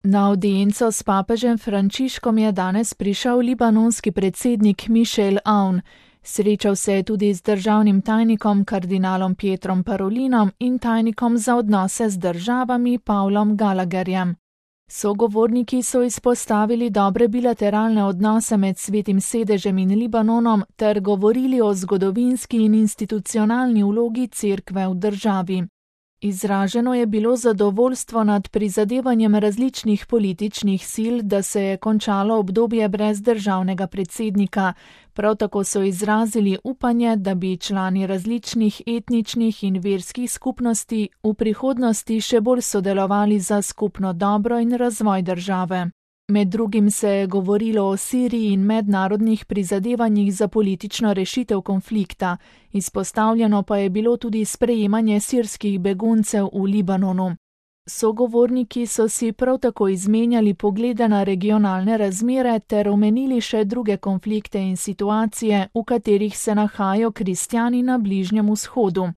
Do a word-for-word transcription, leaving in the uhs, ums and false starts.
Na avdienco s papežem Frančiškom je danes prišel libanonski predsednik Michel Aoun. Srečal se je tudi z državnim tajnikom kardinalom Pietrom Parolinom in tajnikom za odnose z državami Pavlom Gallagherjem. Sogovorniki so izpostavili dobre bilateralne odnose med Svetim sedežem in Libanonom ter govorili o zgodovinski in institucionalni vlogi Cerkve v državi. Izraženo je bilo zadovoljstvo nad prizadevanjem različnih političnih sil, da se je končalo obdobje brez državnega predsednika. Prav tako so izrazili upanje, da bi člani različnih etničnih in verskih skupnosti v prihodnosti še bolj sodelovali za skupno dobro in razvoj države. Med drugim se je govorilo o Siriji in mednarodnih prizadevanjih za politično rešitev konflikta, izpostavljeno pa je bilo tudi sprejemanje sirskih beguncev v Libanonu. Sogovorniki so si prav tako izmenjali poglede na regionalne razmere ter omenili še druge konflikte in situacije, v katerih se nahajajo kristjani na Bližnjem vzhodu.